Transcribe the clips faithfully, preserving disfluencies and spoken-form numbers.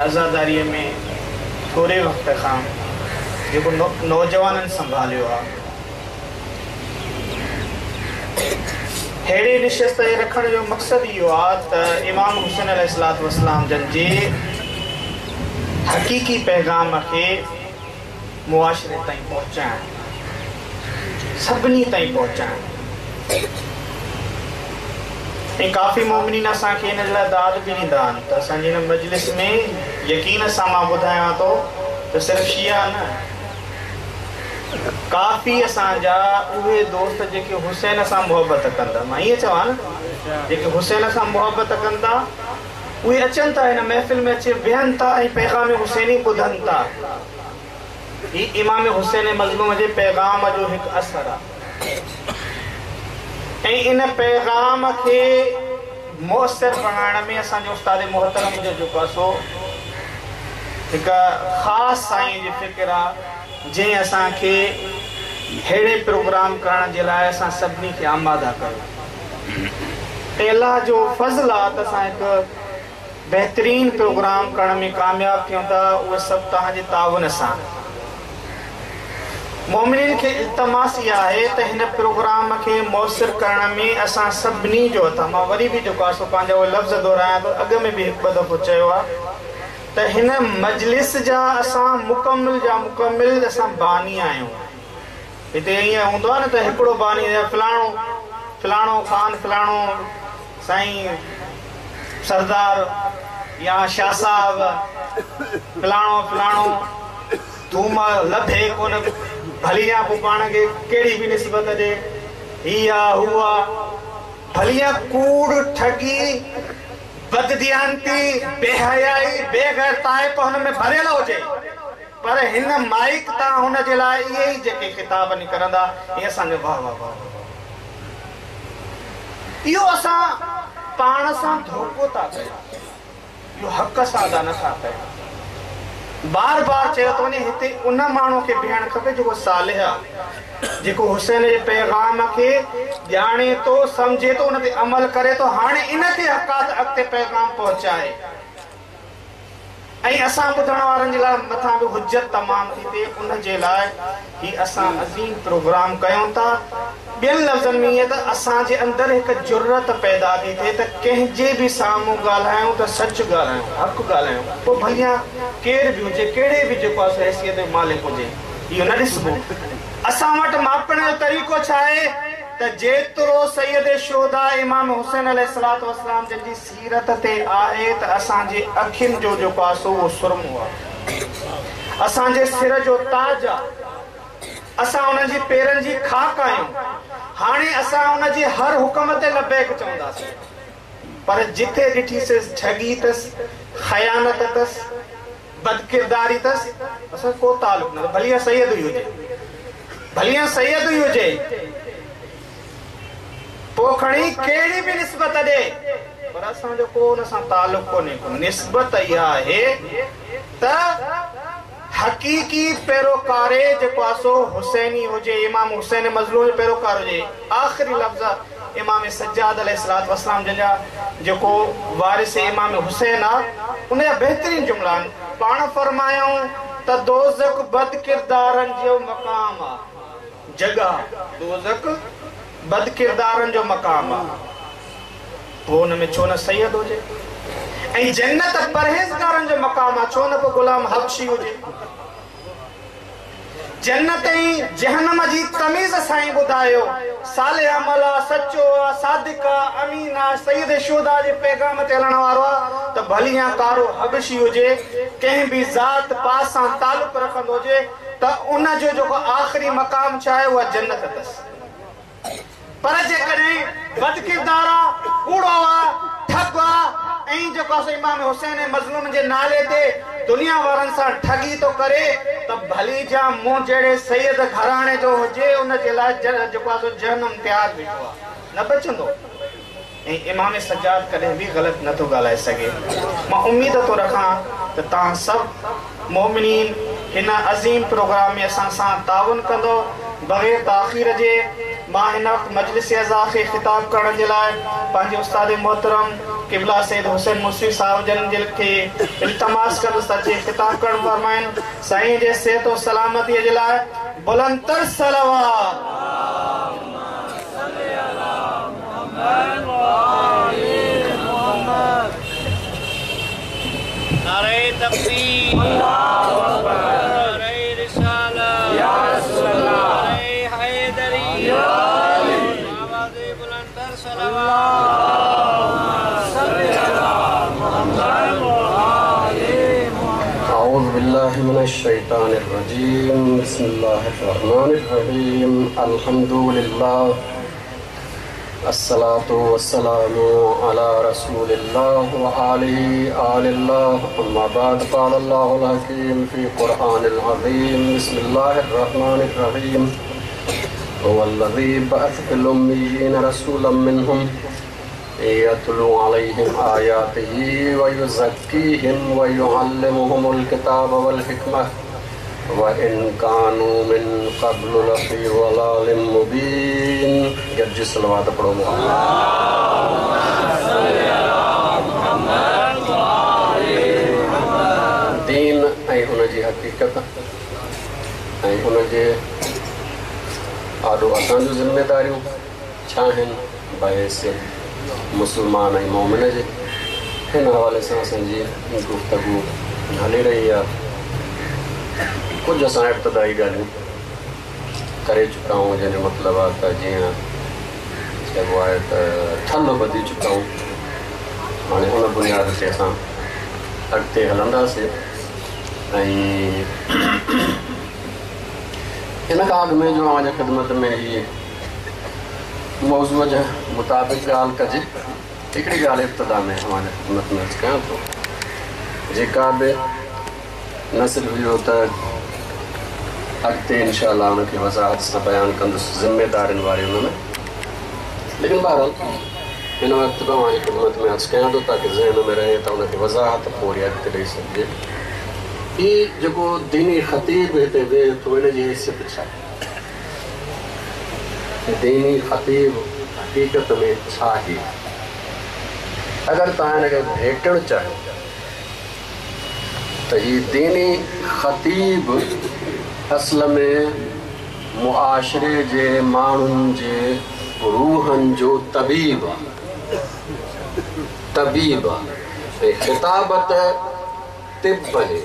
عزاداريءَ ۾ ٿوري وقت کان جيڪو نوجوانن سنڀاليو آهي، اهڙي نشست جي رکڻ جو مقصد اهو آهي ته امام حسين عليه السلام جن جي حقيقي پيغام کي معاشري تائين پهچائڻ، سڀني تائين پهچائڻ. ۽ ڪافي مومنين اسان کي ان لاءِ داد به ڏيندا آهن ته اسان جي هن مجلس ۾ يقين سان مان ٻڌايان ٿو ته صرف شيعا نه، ڪافي اسان جا اهي دوست جيڪي حسين سان محبت ڪندا، مان ائين چوان نه، جيڪي حسين سان محبت ڪندا اهي اچن ٿا هن محفل ۾ اچي ويهن ٿا ۽ پيغام حسيني ٻڌن ٿا. هي امام حسين مظلوم جي پيغام جو هڪ اثر آهي ۽ ان پيغام کي مؤثر بڻائڻ ۾ اسان جي استاد محترم جو جيڪو آهي سو هڪ خاص سائين جي فڪر آهي، جنهن اسان کي اهڙي پروگرام ڪرڻ جي لاءِ اسان سڀني کي آماده ڪيو. ۽ الله جو فضل آهي ته اسان هڪ بهترين پروگرام ڪرڻ ۾ ڪامياب ٿيون ٿا، اهي سڀ توهان جي تعاون سان. مومنين کي التماس اها آهي ته هن پروگرام کي مؤثر ڪرڻ ۾ اسان سڀني جو هٿ آهي. مان وري به جيڪو آهي سو پنهنجا اهي لفظ دهرايان ٿو، اڳ ۾ به هڪ ٻه دفعو چيو آهي ته هن مجلس جا اسان مڪمل جا مڪمل اسان باني آهيون. هتي ائين هوندو آهي نه ته هڪڙو باني فلاڻو فلاڻو خان فلاڻو سائين سردار يا شاهه صاحب فلاڻو فلاڻو ٿوم لڀي ڪونه، ڀلي يا پوءِ پاڻ کي ڪهڙي به نسبت ڏي، هي آهي هو آهي، ڀلي يا ڪوڙ ٺڳي بدديانتي بيحيائي بيغيرتائپ هن ۾ ڀريل هجي، پر هن مائيڪ تان هن جي لاءِ اهي ئي جيڪي خطاب نڪرندا اهي اسان جو واهه واهه واهه. اهو اسان پاڻ سان ڌوڪو ٿا ڪيون، اهو حق سان ادا نٿا ڪيون. بار بار چيو ٿو وڃي هتي ان ماڻهوءَ کي بيهڻ کپي جيڪو صالح آهي، جيڪو حسين جي پيغام کي ڄاڻي ٿو، سمجهي ٿو، ان تي عمل ڪري ٿو. هاڻي ان کي حق آهي ته اڳتي پيغام پهچائي. ۽ اسان ٻڌڻ وارن جي لاءِ مٿان به حجت تمام ٿي ٿئي، ان جي لاءِ هي اسان عظيم پروگرام ڪيون ٿا. ٻين لفظن ۾ ائين ته اسان جي اندر هڪ جرئت پيدا ٿي ٿئي ته ڪنهن جي به سامهون ڳالهايون ته سچ ڳالهايون، حق ڳالهايون، پوءِ ڀليا ڪير به هجي، ڪهڙي به جيڪو آهي حيثيت جو مالڪ هجي، اهو نه ڏسبو. اسان وٽ ماپڻ جو طريقو ڇا آهي ته جيترو سيد شهدا امام حسين عليه السلام جن جي سيرت تي آهي ته اسان جي اکين جو جيڪو آهي سو اهو سرمو آهي، اسان جي سر جو تاج آهي، اسان انهن جي پيرن جي خاڪ آهيون. هاڻي اسان ان جي هر حڪم تي لبيڪ چونداسين، پر جٿي ڏٺيسين ٺڳي اٿس، خيانت اٿس، بدڪرداري اٿس، اسان ڪو تعلق نه، ڀلي سيد ئي هجي، ڀلي سيد ئي هجي، پوءِ کڻي ڪهڙي به نسبت ڏي، پر اسان جو ڪو ان سان تعلق ڪونهي ڪو. نسبت اها آهي ته حقيقي پيروڪاري جيڪو آهي سو حسيني هجي، امام حسين مظلوم جو پيروڪار هجي. آخري لفظ امام سجاد عليه السلام جن جا جيڪو وارث امام حسين آهي ان جا بهترين جملا آهن. پاڻ فرمايائون ته دوزخ بدڪردارن جو مقام آهي، جڳهه دوزخ بدڪردارن جو مقام آهي، پوءِ هن ۾ ڇو نه سيد هجي، ۽ جنت پرهيزگارن جو مقام آهي، ڇو نه پوءِ غلام حبشي هجي. جنت ۽ جهنم جي تميز سائين ٻڌايو، صالح عمل آهي، سچو آهي، صادق آهي، امين آهي، سيد شهدا جي پيغام تي هلڻ وارو آهي، ته ڀلي يا ڪارو حبشي هجي، ڪنهن به ذات پات سان تعلق رکندو هجي، ته ان جو جيڪو آخري مقام ڇا آهي اها جنت اٿس. پر جيڪڏهن بدڪردار آهي، ڪوڙو آهي، ٺڳ آهي، ۽ جيڪو آهي امام حسين مظلوم جي نالي تي دنيا وارن سان ٺڳي ٿو ڪري، ته ڀلي جا مون جهڙي سيد گهراڻي جو هجي، ان جي لاءِ جيڪو آهي سو جهنم تيار بيٺو آهي، نه بچندو. ۽ امام سجاد ڪڏهن به غلط نٿو ڳالهائي سگهي. مان اميد ٿو رکان ته توهان سڀ مومنين هن عظيم پروگرام ۾ اسان سان تعاون ڪندو. بغير تاخير جي مان هن وقت مجلس عزا کي خطاب ڪرڻ جي لاءِ پنهنجي استاد محترم क़िबला सैयद हुसैन मुसी साहब जन खे इल्तमास कंदुसि त अची ख़िताब करणु फरमाइनि। साईं जे सिहत ऐं सलामतीअ जे लाइ बुलंदर सलावत। नारे तकबीर, अल्लाहु अकबर, नारे रिसालत, या रसूल अल्लाह, नारे हैदरी, या अली, आवाज़ बुलंदर सलावत। अऊज़ु बिल्लाहि मिनश शैतानिर रजीम। बिस्मिल्लाहिर रहमानिर रहीम। अल्हम्दुलिल्लाह, अस्सलातु वस्सलामु अला रसूलिल्लाह व आलिहि आलिल्लाह। अम्मा बाद, क़ाल अल्लाहुल हकीम फ़ी क़ुरआनिल अज़ीम। बिस्मिल्लाहिर रहमानिर रहीम। हुवल्लज़ी बअस फ़िल उम्मिय्यीन रसूलन मिनहुम यतलू अलैहिम आयातिही व युज़क्कीहिम व युअल्लिमुहुमुल किताब वल हिकमा व इन कानू मिन क़ब्लु लफ़ी ज़लालिम मुबीन। गज्जी सलवात पढ़ो। दीन ऐं उनजी हक़ीक़त ऐं उनजे आॾो असांजूं ज़िम्मेदारियूं छा आहिनि बहैसियत मुसलमान ऐं मोमिन जे, हिन हवाले सां असांजी गुफ़्तगू हली रही आहे। कुझु असां इब्तदाई ॻाल्हियूं करे चुका आहियूं, जंहिंजो मतिलबु आहे त जीअं चइबो आहे त ठल ॿधी चुका आहियूं। हाणे उन बुनियाद ते असां अॻिते हलंदासीं। ऐं इन खां अॻु में जो अव्हांजे ख़िदमत में हीअ मौज़ूअ जे मुताबिक़ ॻाल्हि कजे, हिकिड़ी ॻाल्हि इब्तिदा में अव्हांजे ख़िदमत में अर्ज़ु कयां थो, जेका बि न सिर्फ़ु इहो त अॻिते इनशा अल्लाह हुनखे वज़ाहत सां बयानु कंदुसि ज़िम्मेदारियुनि वारी हुन में, लेकिन बहरहाल हिन वक़्तु बि अव्हांजी ख़िदमत में अर्ज़ु कयां थो ताकि ज़हन में रहे त हुनखे वज़ाहत पोइ अॻिते ॾेई सघिजे। हीउ जेको दीनी ख़तीब हिते वेहे थो, हिन जी हैसियत छा? दीनी ख़तीब हक़ीक़त में छा आहे? अगरि तव्हां हिनखे भेटणु चाहियो त हीउ दीनी ख़तीब असल में मुआशरे जे माण्हुनि जे रूहनि जो तबीब आहे, तबीब आहे। ऐं ख़िताबत तिब आहे,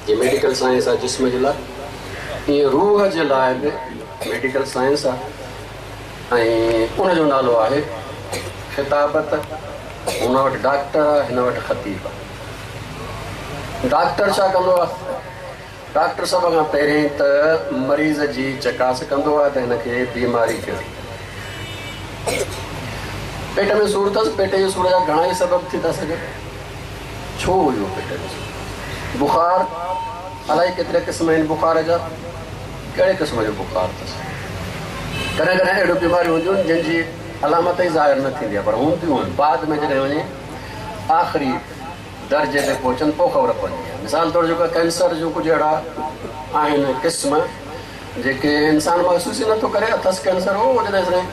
जीअं मेडिकल साइंस आहे जिस्म जे लाइ, ईअं रूह जे लाइ बि मेडिकल साइंस आहे ऐं उनजो नालो आहे ख़िताबत। हुन वटि डॉक्टर आहे, हिन वटि ख़तीब आहे। डॉक्टर छा कंदो आहे? डॉक्टर सभ खां पहिरीं त मरीज़ जी चकास कंदो आहे त हिनखे बीमारी कहिड़ी, पेट में सूर अथसि, पेट जे सूर जा घणा ई सबब थी था सघनि। छो हुयो पेट में सूर? बुखार, अलाए केतिरा क़िस्म आहिनि बुखार जा, कहिड़े क़िस्म जो बुखार अथसि। कॾहिं कॾहिं अहिड़ियूं बीमारियूं हूंदियूं आहिनि जंहिंजी अलामत ई ज़ाहिर न थींदी आहे, पर हूंदियूं आहिनि। बाद में जॾहिं वञे आख़िरी दर्जे ते पहुचनि पोइ ख़बर पवंदी आहे। मिसाल तौरु जेको कैंसर जूं कुझु अहिड़ा आहिनि क़िस्म जेके इंसान महसूसु ई नथो करे अथसि कैंसर हो, जॾहिं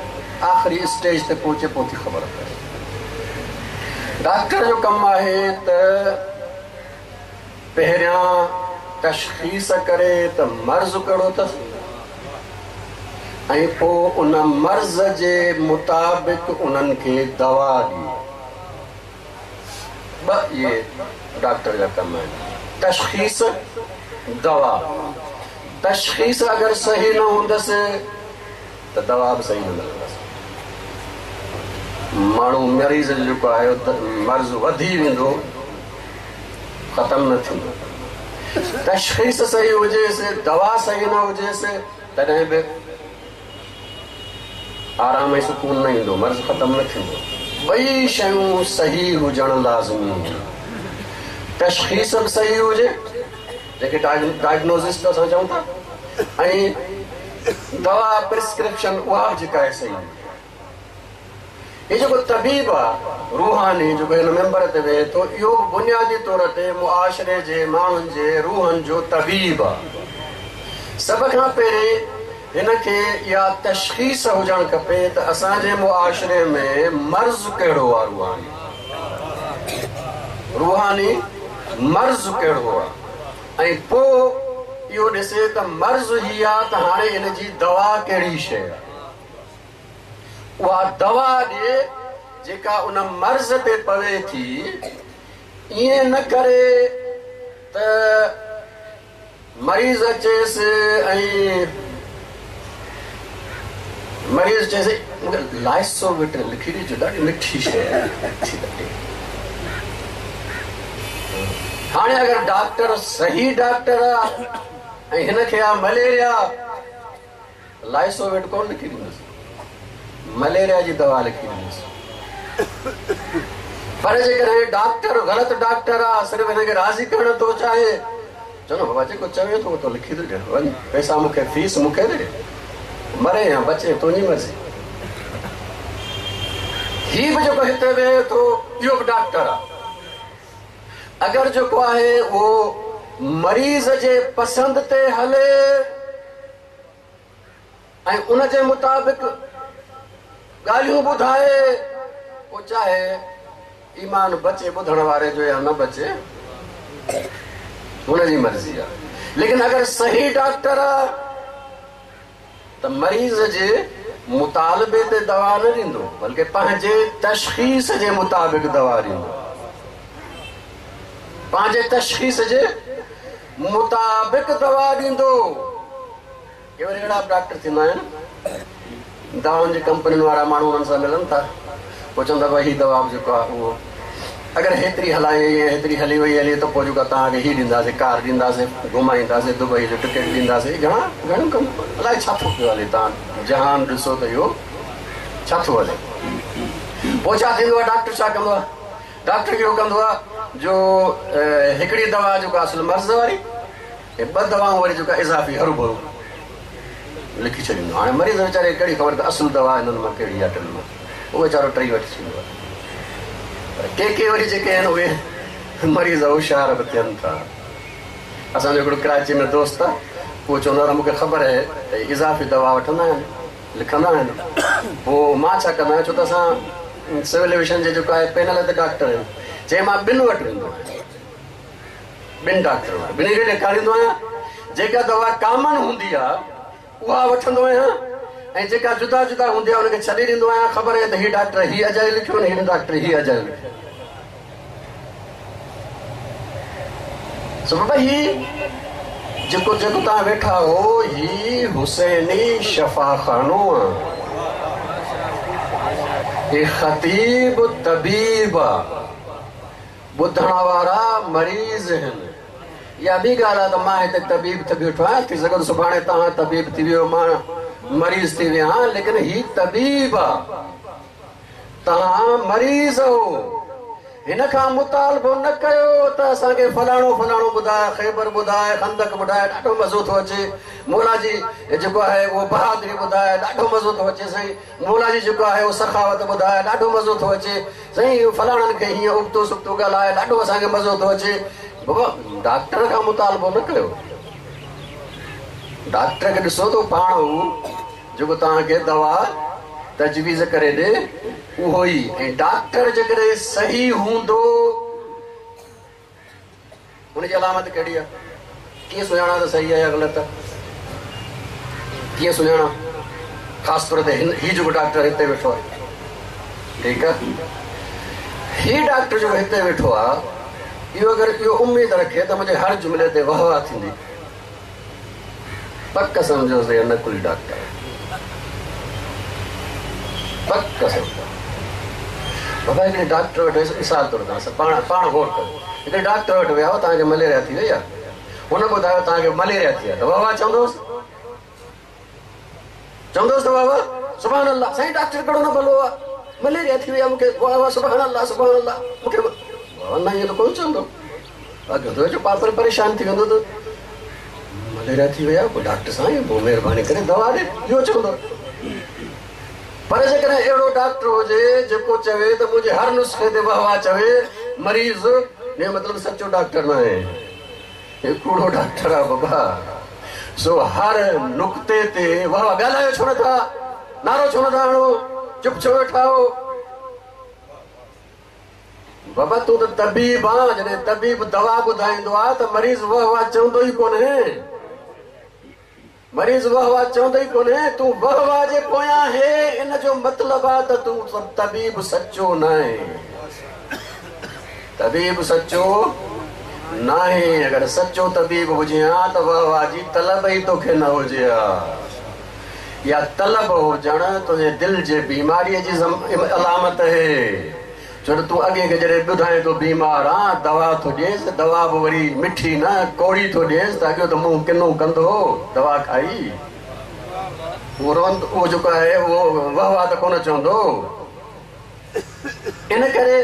आख़िरी स्टेज ते पहुचे पोइ थी ख़बर पए। डॉक्टर जो कमु आहे त पहिरियां तशख़ीस करे त मर्ज़ कहिड़ो अथसि ऐं पोइ उन मर्ज़ जे मुताबिक़ उन्हनि खे दवा ॾिए। ॿ इहे डॉक्टर जा कम आहिनि, तशख़ीस, दवा। तशख़ीस अगरि सही न हूंदसि त दवा बि सही न मिलंदसि। माण्हू मरीज़ जो जेको आहे मर्ज़ वधी वेंदो, ख़तमु न थींदो। तशख़ीस सही हुजेसि, दवा सही न हुजेसि, तॾहिं बि आराम ऐं सुकून न ईंदो, मर्ज़ ख़तमु न थींदो। ॿई शयूं सही हुजणु लाज़मी आहिनि। तशख़ीस बि सही हुजे, जेके डायग्नोसिस असां चऊं था, ऐं दवा प्रिस्क्रिप्शन उहा बि जेका आहे सही हुजे। हीउ जेको तबीब आहे रूहानी, जेको हिन मेंबर ते वेहे थो, इहो बि बुनियादी तौर ते मुआशरे जे माण्हुनि जे रूहनि जो तबीब आहे। सभ खां पहिरीं हिनखे इहा तशख़ीस हुजणु खपे त असांजे मुआशरे में मर्ज़ कहिड़ो आहे, रूहानी रूहानी मर्ज़ कहिड़ो आहे, ऐं पोइ इहो ॾिसे त मर्ज़ हीअ आहे त हाणे इन जी दवा कहिड़ी शइ आहे, उहा दवा ॾिए जेका उन मर्ज़ ते पवे थी। ईअं न करे त मरीज़ अचेसि ऐं मरीज़ चएसि मूंखे लाइसोविट लिखी ॾिजो, ॾाढी मिठी शइ आहे। हाणे अगरि डॉक्टर सही डॉक्टर आहे ऐं हिनखे आहे मलेरिया, लाइसोविट कोन लिखी ॾींदुसि, मलेरिया जी दवा लिखी ॾींदुसि। पर जेकॾहिं डॉक्टर ग़लति डॉक्टर आहे, सिर्फ़ु हिनखे राज़ी करणु थो चाहे, चलो बाबा जेको चवे थो उहो लिखी थो ॾियां, वञ पैसा मूंखे फीस मूंखे ॾे, मरे या बचे तुंहिंजी मर्ज़ी। हीअ बि जेको हिते वेहे थो इहो बि डॉक्टर आहे। अगरि जेको आहे उहो मरीज़ जे पसंदि ते हले ऐं उन जे मुताबिक़ ॻाल्हियूं ॿुधाए, पोइ चाहे ईमान बचे ॿुधण वारे जो या न बचे, हुनजी मर्ज़ी आहे। लेकिन अगरि सही डॉक्टर आहे त मरीज़ जे मुतालबे ते दवा न ॾींदो, बल्कि पंहिंजे तशख़ीस जे मुताबिक़ दवा ॾींदो, पंहिंजे तशख़ीस जे मुताबिक़ दवा ॾींदो। के वरी अहिड़ा डॉक्टर थींदा आहिनि, दवाउनि जी कंपनियुनि वारा माण्हू उन्हनि सां मिलनि था, पोइ चवंदा भई हीअ दवा बि जेको आहे उहो अगरि हेतिरी हलाए हेतिरी हली वई हली त पोइ जेको तव्हांखे हीअ ॾींदासीं, कार ॾींदासीं, घुमाईंदासीं, दुबई जो टिकट ॾींदासीं, घणा घणो कमु अलाए छा थो पियो हले। तव्हां जहान ॾिसो त इहो छा थो हले। पोइ छा थींदो आहे, डॉक्टर छा कंदो आहे, डॉक्टर इहो कंदो आहे जो हिकिड़ी दवा जेको असुलु मर्ज़ वारी ऐं ॿ दवाऊं वरी जेका इज़ाफ़ी हरू भरू लिखी छॾींदो। हाणे मरीज़ वीचारे खे कहिड़ी ख़बर त असुलु दवा हिननि मां कहिड़ी आहे, टिनि मां, उहो वीचारो टई वठी छॾींदो आहे। पर के के वरी जेके आहिनि उहे मरीज़ होशियार बि थियनि था। असांजो हिकिड़ो कराची में दोस्त आहे, उहो चवंदो आहे मूंखे ख़बर आहे त इज़ाफ़ी दवा वठंदा आहिनि, लिखंदा आहिनि। पोइ मां छा कंदो आहियाँ, छो त असां सिविल एविएशन जे जेको आहे पैनल ते डॉक्टर आहियूं, चए मां ॿिनि वटि वेंदो आहियाँ, ॿिनि डॉक्टर वटि, ॿिन्ही खे ॾेखारींदो आहियाँ, जेका दवा कॉमन हूंदी आहे उहा वठंदो आहियाँ ऐं जेका जुदा जुदा हूंदी आहे हुनखे छॾी ॾींदो आहियाँ। ख़बर आहे त हीउ डॉक्टर हीअ अजायो लिखियो, हीउ डॉक्टर हीअ अजायो लिखियो। सो बाबा हीअ जेको जेको तव्हां वेठा हो हीअ हुसैनी शफ़ाखानो आहे, हीअ ख़तीब तबीब आहे, ॿुधण वारा मरीज़ आहिनि। इहा ॿी ॻाल्हि आहे त मां हिते तबीब थी बीठो आहियाँ, थी सघे थो सुभाणे तव्हां तबीब थी वियो, मां मरीज़ थी वियो आहियाँ, लेकिन हीअ तबीब आहे, तव्हां मरीज़ हो। हिन खां मुतालबो न कयो त असांखे फलाणो फलाणो ॿुधाए, ख़ैबर ॿुधाए, ख़ंदक ॿुधाए, ॾाढो मज़ो थो अचे। मौला जी जेको आहे उहो बहादुरी ॿुधाए, ॾाढो मज़ो थो अचे। साईं मौला जी जेको आहे उहो सखावत ॿुधाए, ॾाढो मज़ो थो अचे। साईं फलाणनि खे हीअं उबतो सुबतो ॻाल्हाए, ॾाढो असांखे मज़ो थो अचे। बाबा डॉक्टर खां मुतालबो न कयो, डॉक्टर खे ॾिसो त पाण हू जेको तव्हांखे दवा तजवीज़ करे ॾे उहो ई। ऐं डॉक्टर जेकॾहिं सही हूंदो, हुनजी अलामत कहिड़ी आहे, कीअं सुञाणा त सही आहे या ग़लति आहे, कीअं सुञाणा? ख़ासि तौर ते हिन हीउ जेको डॉक्टर हिते वेठो आहे, ठीकु आहे, हीउ डॉक्टर जेको हिते वेठो आहे, इहो अगरि इहो उमेद रखे त मुंहिंजे हर जुमिले ते वाह वाह थींदी, पक सम्झोसि इहो नकुली डॉक्टर, पक सम्झो। बाबा हिकिड़े डॉक्टर वटि वियुसि, मिसाल तौर तव्हां पाण पाण गौर कयो, हिकिड़े डॉक्टर वटि विया तव्हांखे मलेरिया थी वई आहे, हुन ॿुधायो तव्हांखे मलेरिया थी आहे, त वाह वाह चवंदोसि, चवंदोसि त वाह वाह सुभान अल्लाह, साईं डॉक्टर कहिड़ो न भलो आहे, मलेरिया थी वई आहे मूंखे, वाह वाह सुभान अल्लाह सुभान अल्लाह, मूंखे न ईअं त कोन चवंदो। अॻियो पात्र परेशान थी वेंदो त मलेरिया थी वई आहे, पोइ डॉक्टर साईं पोइ महिरबानी करे दवा ॾे, इहो चवंदो। पर जेकॾहिं अहिड़ो डॉक्टर हुजे जेको चवे त मुंहिंजे हर नुस्खे ते वाह वाह चवे मरीज़, ने मतिलबु सचो डॉक्टर न आहे, हे कूड़ो डॉक्टर आहे बाबा। सो हर नुक्ते ते वाह वाह ॻाल्हायो छो नथा, नारो छो नथा हणो, चुप छो वेठा हो। बाबा तूं त तबीब आहे, जॾहिं तबीब दवा ॿुधाईंदो आहे त मरीज़ वाह वाह चवंदो ई कोन्हे, मरीज़ वाह वाह चवंदो ई कोन्हे। तूं वाह वाह जे पोयां आहे, इन जो मतिलबु आहे त तूं तबीब सचो न आहे, तबीब सचो न आहे। अगरि सचो तबीब हुजे हा त वाह वाह जी तलब ई तोखे न हुजे हा। या तलब हुजणु तुंहिंजे दिलि जे बीमारीअ जी अलामत आहे। छो त तूं अॻे खे जॾहिं ॿुधाए थो बीमार आहे, दवा थो ॾियेसि, दवा बि वरी मिठी न कौड़ी थो ॾियेसि, त अॻियो त मुंहुं किनो कंदो दवा खाई, उहो रोवंदो, उहो जेको आहे उहो वाह वाह त कोन चवंदो। इन करे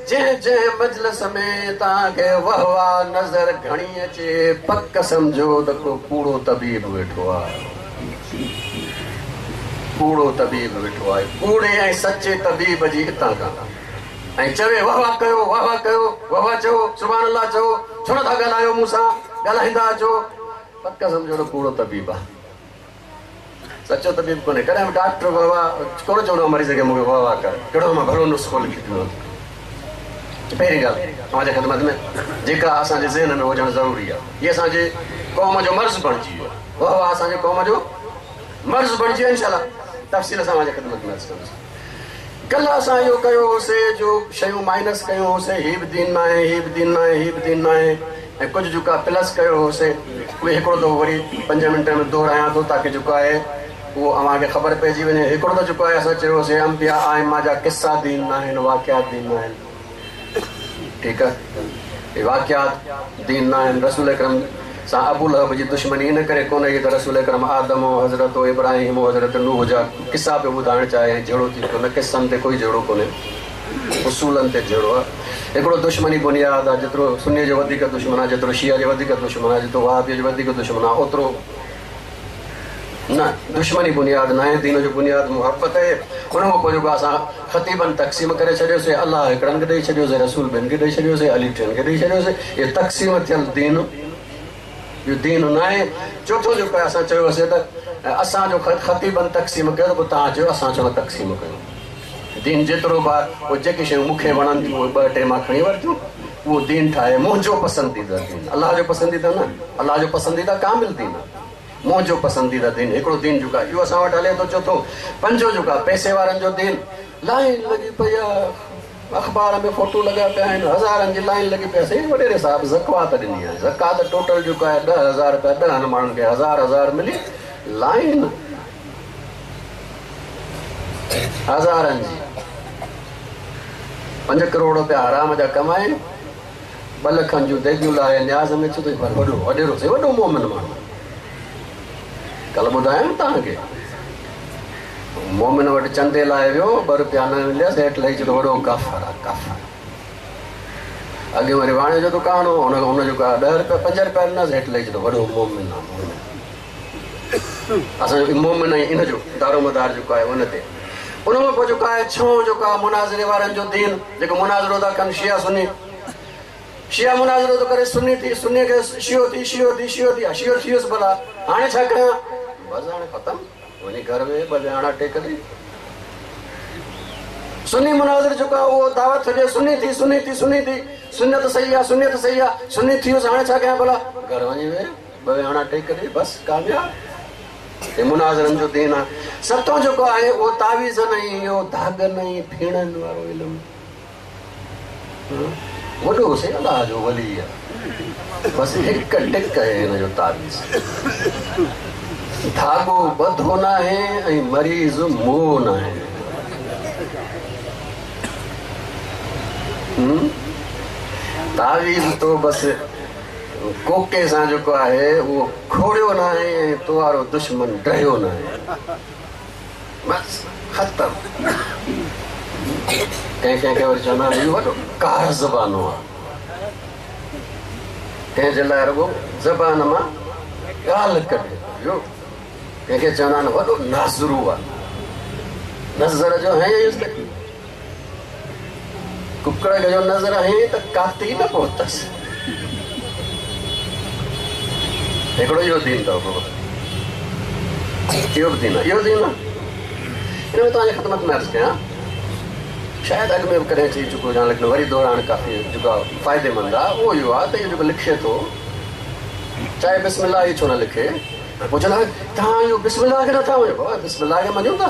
जंहिं जंहिं मजलिस में तव्हांखे वाह वाह नज़र घणी अचे, पक सम्झो त को कूड़ो तबीब वेठो आहे, कूड़ो तबीब वेठो आहे। कूड़े ऐं सचे तबीब जी हितां खां ऐं चवे वाह वाह कयो, वाह वाह कयो, वाह वाह चओ, सुभान अल्लाह चओ, छो नथा ॻाल्हायो मूंसां, ॻाल्हाईंदा अचो, पक सम्झो त कूड़ो तबीब आहे, सचो तबीब कोन्हे। कॾहिं बि डॉक्टर वाह वाह कोन चवंदो आहे मरीज़ खे मूंखे वाह वाह कर, कहिड़ो मां भलो नुस्ख़ो लिखी ॾिनो। पहिरीं ॻाल्हि तव्हांजे ख़िदमत में जेका असांजे ज़हन में हुजणु ज़रूरी आहे, हीअ असांजे क़ौम जो मर्ज़ बणिजी वियो आहे, वाह वाह असांजे क़ौम जो मर्ज़ बणिजी वियो। इंशाअल्लाह तफ़सील सां तव्हांजे ख़िदमत में अर्ज़ु कंदुसि। कल्ह असां इहो कयो हुउसीं जो शयूं माइनस कयूं हुउसीं, हीअ बि दीन न आहे, हीअ बि दीन न आहे, हीअ बि दीन न आहे, ऐं कुझु जेको आहे प्लस कयो हुउसीं, उहे हिकिड़ो दफ़ो वरी पंज मिंट में दोहरायां थो ताकी जेको आहे उहो अव्हांखे ख़बर पइजी वञे। हिकिड़ो त जेको आहे असां चयो हुउसीं अंबिया आइमा जा किस्सा दीन न आहिनि, वाक़ियात दीन न आहिनि, ठीकु आहे, वाक़ियात दीन न आहिनि। रसूल अकरम सां अबू लहब जी दुश्मनी इन करे कोन हुई त रसूल अकरम आदम हज़रत इब्राहिम हज़रत नूह जा किस्सा पियो ॿुधाइण चाहे ऐं झेड़ो थी पियो। न किस्सनि ते कोई झेड़ो कोन्हे, उसूलनि ते झेड़ो आहे। हिकिड़ो दुश्मनी बुनियाद आहे, जेतिरो सुन्नी जो वधीक दुश्मन आहे, जेतिरो शिया जो वधीक दुश्मन आहे, जेतिरो वहाबीअ जो वधीक दुश्मन आहे, ओतिरो न दुश्मनी बुनियाद न आहे। दीन जो बुनियाद मुहबत आहे। उन खां पोइ जेको असां ख़तीबनि तक़सीम करे छॾियोसीं, अलाह हिकिड़नि खे ॾेई छॾियोसीं, रसूल ॿियनि खे ॾेई छॾियोसीं, अली टियनि खे ॾेई छॾियोसीं। इहो तक़सीम थियल दीन, इहो दीन न आहे। चोथों जेको आहे असां चयो हुउसीं त असांजो ख़तीबनि तक़सीम कयो, त पोइ तव्हां चयो असां छो न तक़सीम कयूं। दीन जेतिरो बि आहे उहे जेकी शयूं मूंखे वणनि थियूं उहे ॿ टे मां खणी वरितियूं, उहो दीन ठाहे। मुंहिंजो पसंदीदा दीन, अलाह जो पसंदीदा न, अलाह जो पसंदीदा कामिल दीन आहे, मुंहिंजो पसंदीदा दीन हिकिड़ो दीन जेको आहे इहो असां वटि हले थो। चोथों पंजो जेको आहे पैसे वारनि जो दीन, लाइन लॻी पई आहे, अख़बार में फोटो लॻा पिया आहिनि, हज़ारनि जी लाइन लॻी पई आहे। साईं वॾेरे साहिब ज़कात ॾिनी आहे, ज़कात टोटल जेको आहे ॾह हज़ार रुपया ॾहनि माण्हुनि खे हज़ार हज़ार मिली, लाइन हज़ारनि जी। पंज करोड़ रुपया हराम जा कमाए, ॿ लखनि जूं देगियूं लाहे न्याज़ में अचे थो। वॾो वॾेरो साईं वॾो मोमिन माण्हू, कल्ह ॿुधायमि तव्हांखे, मोमिन वटि चंदे लाइ वियो, ॿ रुपया न मिलियसि, हेठि लही चयो वॾो काफ़र आहे, काफ़र। अॻे वरी वाणे जो दुकानु हो, हुन हुन जेको आहे ॾह रुपया पंज रुपया ॾिनसि, हेठि लही चयो वॾो मोमिन आहे, मोमिन। असांजो मोमिन ऐं इन जो दारोमदार जेको आहे उन ते। उन खां पोइ जेको आहे छहों जेको आहे मुनाज़रे वारनि जो दीन, जेको मुनाज़रो था कनि शिया सुन्नी, शिया मुनाज़रो थो करे सुन्नी थी, सुन्नी खे शियो थी, शियो थी, शियो थी, शियो थी वियुसि भला, हाणे छा कयां, बसि हाणे ख़तमु, वञी घर में ॿ ॼाणा टेक ॾेई। सुन्नी मुनाज़िर जेको आहे उहो दावत हुजे, सुन्नी थी, सुन्नी थी, सुन्नी थी, सुन्नत सही आहे, सुन्नियत सही आहे, सुन्नी थी वियुसि, हाणे छा कयां भला, घर वञी वेह, ॿ ॼाणा टेक ॾे, बसि कामयाब। हे मुनाज़िरनि जो दीन आहे। सतों जेको आहे उहो तावीज़नि ऐं इहो धागनि ऐं फीणनि वारो इल्मु, वॾो साईं अलाह जो वली आहे, बसि हिकु टिक आहे हिन जो तावीज़, धागो ॿधो न आहे ऐं मरीज़ मोहो न आहे। तावीज़ तो बसि कोके सां जेको आहे उहो खोड़ियो न आहे ऐं तो वारो दुश्मन डहियो न आहे, बसि ख़तमु। कंहिं कंहिंखे वरी चवंदा आहिनि इहो वॾो कार ज़बानो आहे, कंहिंजे लाइ रुॻो ज़बान मां ॻाल्हि कढे वियो। कंहिंखे चवंदा आहिनि वॾो नाज़रू आहे, नज़र जो हयईंसि त कुकड़ खे जो नज़र हयईं त काती न पहुतसि। हिकिड़ो इहो दीन अथव बाबा, इहो बि दीन आहे, इहो दीन आहे। हिन में तव्हांजी ख़िदमत में अर्ज़ु कयां, शायदि अॻु में बि कॾहिं चई चुको हुजां, लेकिन वरी दोहराइण काफ़ी जेको आहे फ़ाइदेमंद आहे। उहो इहो आहे त इहो जेको लिखे थो, चाहे बिस्मिल्लाह ई छो न लिखे, पोइ चवंदा तव्हां इहो बिस्मिल्लाह खे नथा मञो। बाबा बिस्मिल्लाह खे मञूं था,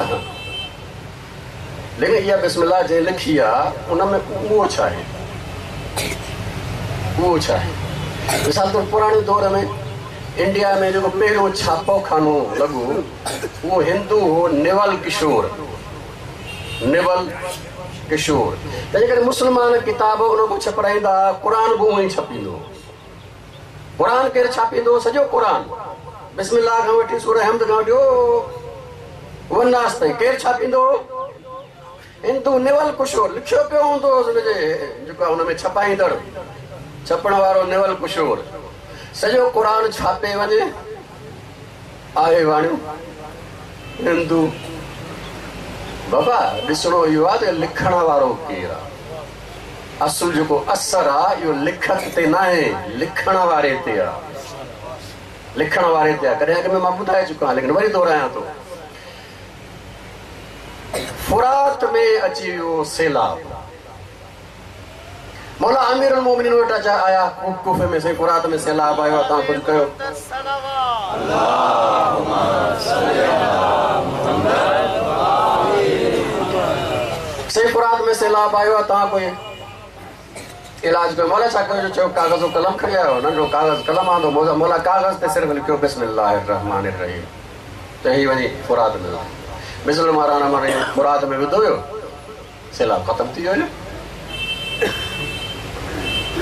लेकिन इहा बिस्मिल्लाह जंहिं लिखी आहे उन में उहो छा आहे, उहो छा आहे। मिसाल तौरु पुराणे दौर में इंडिया में जेको पहिरियों छापो खानो लॻो उहो हिंदू हो, निवल किशोर, निवल किशोर। तंहिंजे करे मुस्लमान किताब उन खां छपराईंदा, क़ुर बि उहो ई छपींदो। क़ुर केरु छापींदो? सॼो क़ुर बिस्मिल्लाह खां वठी सूरह हम्द खां वठी वनास ताईं केरु छापींदो? हिंदू निवल किशोर। लिखियो पियो हूंदो हुनजे जेको आहे हुन में छपाईंदड़, छपण वारो निवल किशोर। सॼो क़ुर छापे वञे, आहे वाणियो हिंदू। बाबा ॾिसणो इहो आहे त लिखण वारो केरु आहे। असुल जेको असरु आहे इहो लिखत ते न आहे, लिखण वारे ते आहे, लिखण वारे ते आहे। कॾहिं अॻु में मां ॿुधाए चुको आहियां, लेकिन वरी दोहरायां थो। फुरात में अची वियो सैलाब। मौला अमीर मोमिनीन वटि अचा आया कूफे में, साईं फुरात में सैलाब आयो आहे, तव्हां कुझु कयो। साईं फुरात में सैलाब आयो आहे, तव्हां कोई इलाज कयो। मौला छा कयो? चयो काग़ज़ कलम खणी आयो, नंढो काग़ज़ कलम आंदो। मौला काग़ज़ ते सिर्फ़ लिखियो बिस्मिल्लाह रहमान रहीम, त ही वञी फुरात में बिस्मिल्लाह रहमान रहीम फुरात में विधो वियो, सैलाब ख़तमु थी वियो।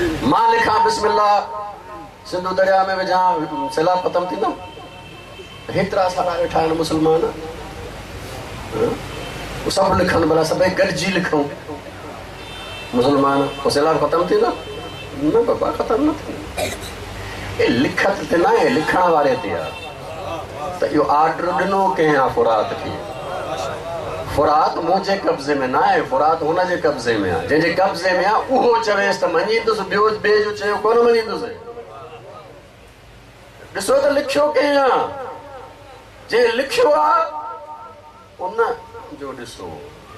मां लिखां बिस्मिल्लाह सिंधु दरिया में विझां, सैलाब ख़तमु थींदो? हेतिरा सारा वेठा आहिनि मुस्लमान, सभु लिखनि भला, सभई गॾिजी लिखूं मुस्लमान, पोइ सैलाब ख़तमु थींदो? न बाबा, ख़तमु न थींदो। लिखत ते न आहे, लिखण वारे ते आहे। त इहो आर्डर ॾिनो कंहिं आहे फुरात खे? फुरात मुंहिंजे कब्ज़े में न आहे, फुरात हुनजे कब्ज़े में आहे। जंहिंजे कब्ज़े में आहे उहो चवेसि त मञींदुसि, ॿियो ॿिए जो चयो कोन मञींदुसि। ॾिसो त लिखियो कंहिं आहे, जंहिं लिखियो आहे उन जो ॾिसो,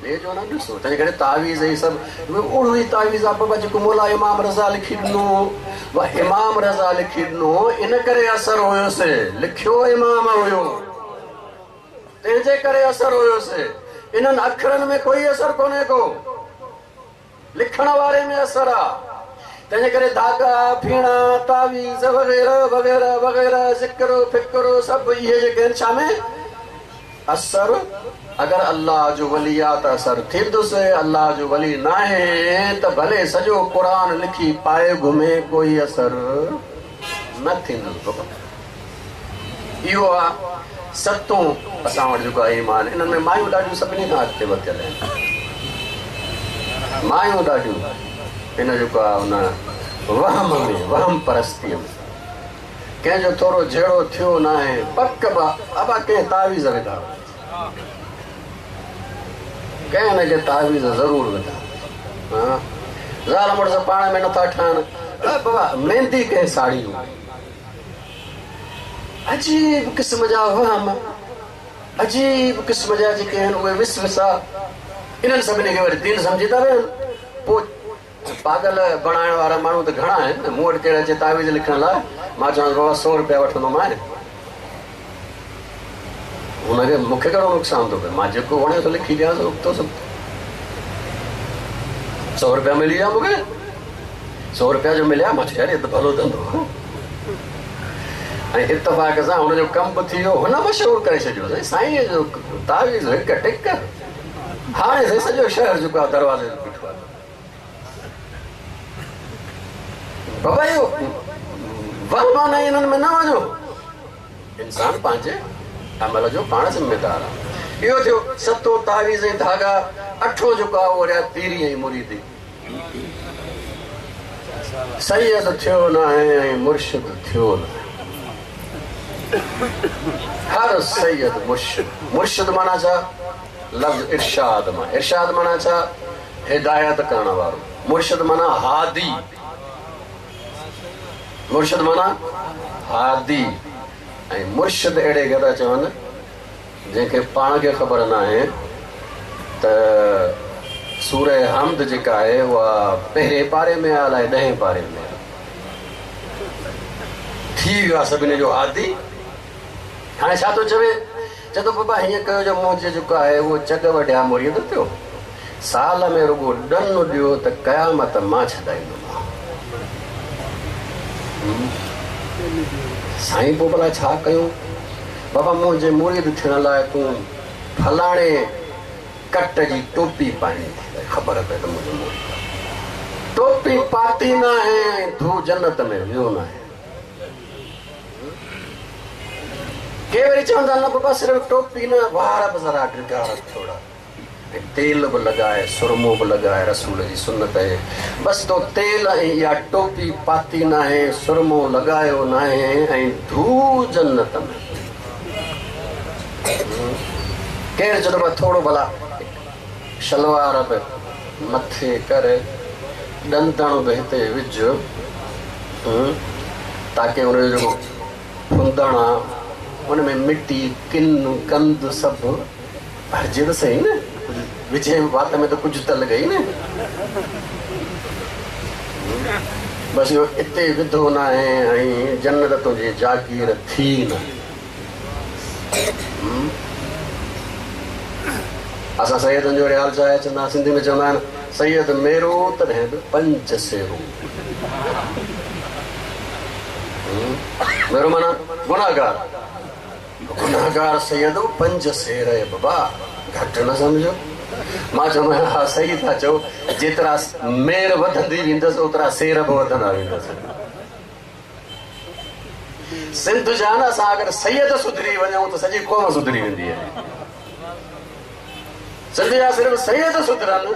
ॿिए जो न ॾिसो। तंहिंजे करे तावीज़ ई सभु अहिड़ो ई तावीज़ आहे बाबा, जेको मौला इमाम रज़ा लिखी ॾिनो, इमाम रज़ा लिखी ॾिनो, इन करे असरु हुयोसि। लिखियो इमाम हुयो, तंहिंजे करे असरु हुयोसि। इन्हनि अखरनि में कोई असरु कोन्हे को, लिखण वारे में असरु आहे। तंहिंजे करे धागा, फीणा, तावीज़ वग़ैरह वग़ैरह वग़ैरह, ज़िक्र फिक्र सभु इहे जेके आहिनि छा में असरु। अगरि अल्लाह जो वली आहे त असरु थींदुसि, अल्लाह जो वली न आहे त भले सॼो क़ुर लिखी पाए घुमे, कोई असरु न थींदुसि। इहो आहे सतों असां वटि जेको आहे ईमान। इन्हनि में मायूं ॾाढियूं सभिनी खां अॻिते वधियल आहिनि, मायूं ॾाढियूं हिन जेको आहे हुन वहम में, वहम परस्तीअ में कंहिंजो थोरो झेड़ो थियो न आहे, पक बि अबा कंहिं तावीज़ विधा, कंहिं न कंहिं तावीज़ ज़रूरु विधा। हा, ज़ाल मुड़ुस पाण में नथा ठहनि। बाबा मेहंदी कंहिं साड़ी हूंदी, अजीब क़िस्म जा वहम, अजीब क़िस्म जा जेके आहिनि उहे विसविसा, इन्हनि सभिनी खे वरी दीन सम्झी था वेहनि। पोइ पागल बणाइण वारा माण्हू त घणा आहिनि। मूं वटि कहिड़ा अचे तावीज़ लिखण लाइ, मां चवांसि बाबा सौ रुपया वठंदोमांइ। हुनखे मूंखे कहिड़ो नुक़सानु थो पए, मां जेको वणे थो लिखी ॾियांसि, उकितो सभु। सौ रुपया मिली विया मूंखे, सौ रुपया जो मिलिया, मां चयो यार त भलो धंधो। ऐं इतफ़ाक़ सां हुनजो कमु बि थी वियो, हुन मशहूरु करे छॾियो, साईं साईं जो तावीज़ हिकु टिक। हाणे साईं सॼो शहर जेको आहे दरवाज़े ते बीठो आहे। बाबा इहो वहम न इन्हनि में न वञो, इंसान पंहिंजे अमल जो पाण ज़िम्मेदार आहे। इहो थियो सतों तावीज़ ऐं धागा। अठों जेको आहे उहो रहिया पीरी ऐं मुरीदी। सैयद थियो न आहे ऐं मुर्शिद थियो न आहे। हर सैयद मुर्शिद, मुर्शिद माना छा? लफ़्ज़ इरशाद मां। इरशाद माना छा? हिदायत करण वारो। मुर्शिद माना हादी, मुर्शिद माना हादी। ऐं मुर्शिद अहिड़े खे था चवनि जंहिंखे पाण खे ख़बर न आहे त सूरह हमद जेका आहे उहा पहिरें पारे में आहे अलाए ॾहें पारे में आहे। थी वियो आहे सभिनी जो आदि। हाणे छा थो चवे? चए थो बाबा हीअं कयो जो मुंहिंजो जेको आहे उहो चॻ वढिया मुरीद थियो, साल में रुगो ॾन ॾियो त क़यामत मां छॾाईंदोमांव। साईं पोइ भला छा कयूं? बाबा मुंहिंजे मुरीद थियण लाइ तूं फलाणे कट जी टोपी पाइणी थी, ख़बर पए त मुंहिंजो मुरीद टोपी पाती न आहे ऐं धू जन्नत में वियो न आहे। के वरी चवंदा न बाबा सिर्फ़ टोपी न, वार बि ज़रा डिघा थोरा, तेल बि लॻाए, सुरमो बि लॻाए, रसूल जी सुन्नत आहे। बसि तो तेल ऐं इहा टोपी पाती न आहे, सुरमो लॻायो न आहे ऐं धू जन्नत में। केरु चवंदो आहे थोरो भला शलवार बि मथे कर, ॾंदण बि हिते विझ, ताकी हुनजो जेको फुंदण आहे हुन में मिटी किन गंद सभु भरिजे त सही न, विझे वात में त कुझु त लॻे न। बसि इहो हिते विधो न आहे ऐं जन्नत तुंहिंजी जागीर थी न। असां सैयदनि जो रियाल छा आहे? चवंदा सिंधी में चवंदा आहिनि सैयद मेरो तॾहिं बि पंज सेरो। मेरो माना गुनाहगार, गुनाहगार सैयद पंज सेर आहे बाबा, घटि न सम्झो। मां चवंदो आहियां हा सही था चओ, जेतिरा मेर वधंदी वेंदसि ओतिरा सेर बि वधंदा वेंदसि। सिंध जा न असां अगरि सैयद सुधरी वञूं त सॼी क़ौम सुधरी वेंदी आहे। सिंध जा सिर्फ़ सैयद सुधरनि,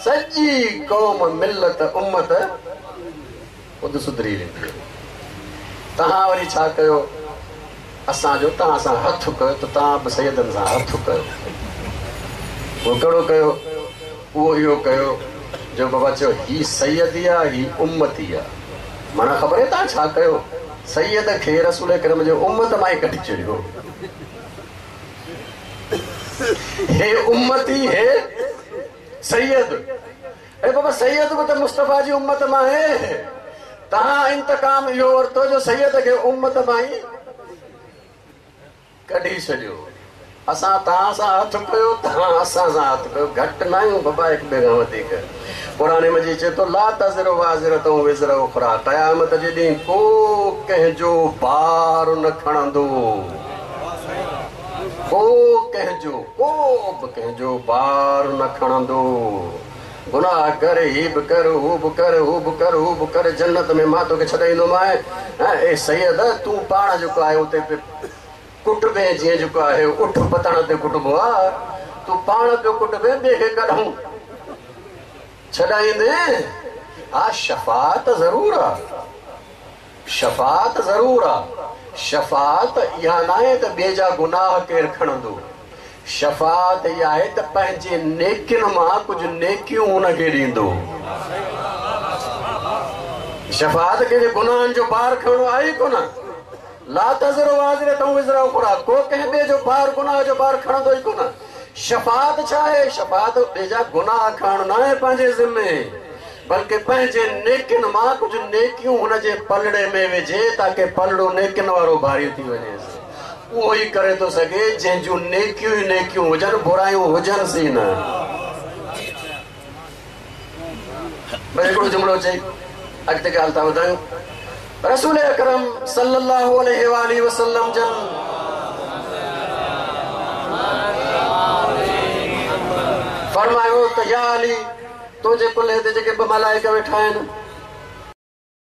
सॼी क़ौम मिलत उम्मत ख़ुदि सुधरी वेंदी आहे। तव्हां वरी छा कयो? असांजो तव्हां सां हथु कयो त तव्हां बि सैयदनि सां हथु कयो। उहो कहिड़ो कयो? उहो इहो कयो जो बाबा चयो हीउ सैयदी आहे, हीउ उम्मती आहे। माना ख़बर आहे तव्हां छा कयो? सैयद खे रसूल करम जो उम्मत मां ई कढी छॾियो। हे उम्मती हे सैयद। अरे बाबा सैयद बि त मुस्तफ़ा जी उम्मत मां आहे। तव्हां इंतकाम इहो वरितो जो सैयद खे उम्मत मां ई कढी छॾियो। असां तव्हां सां हथु कयो, तव्हां असां सां हथु कयो। घटि न आहियूं बाबा हिक ॿिए खां वधीक। क़ुरान मजीद चए थो ला तज़िरु वाज़िरतु विज़र उख़रा, क़यामत जे ॾींहुं को कंहिंजो भार न खणंदो, को कंहिंजो को बि कंहिंजो भार न खणंदो। गुनाह कर, ही बि कर, हू बि कर, हू बि कर, हू बि कर, जन्नत में मां तोखे छॾाईंदोमांइ। ऐं सैयद तूं पाण जेको आहे उते कुटबे, जीअं जेको आहे उठ पतण ते कुटबो आहे, तूं पाण पियो कुटबे, ॿिए खे कॾाऊं छॾाईंदे? हा शफ़ात ज़रूरु आहे, शफ़ात ज़रूरु आहे। शफ़ात इहा न आहे त ॿिए जा गुनाह केरु खणंदो। शफ़ात इहा आहे त पंहिंजे नेकियुनि मां कुझु नेकियूं हुनखे ॾींदो। शफ़ात कंहिंजे गुनाहनि जो भार खणणो आहे ई कोन। ला तज़िरु वाज़िरतु विज़र उख़रा, को कंहिं ॿिए जो भार गुनाह जो भार खणंदो ई कोन। शफ़ात छा आहे? शफ़ात ॿिए जा गुनाह खणणो न आहे पंहिंजे ज़िमे, बल्कि पंहिंजे नेकियुनि मां कुझु नेकियूं हुनजे पलड़े में विझे ताकी पलड़ो नेकियुनि वारो भारी थी वञे। उहो ई करे थो सघे जंहिंजूं नेकियूं ई नेकियूं हुजनि, बुरायूं हुजनि सी न। बसि हिकिड़ो जुमिलो चई अॻिते ॻाल्हि था ॿुधायूं। रसूल अकरम सल्लल्लाहु अलैहि वसल्लम जन फरमायो त या अली, तुंहिंजे कुल्हे ते जेके ॿ मलाइक वेठा आहिनि,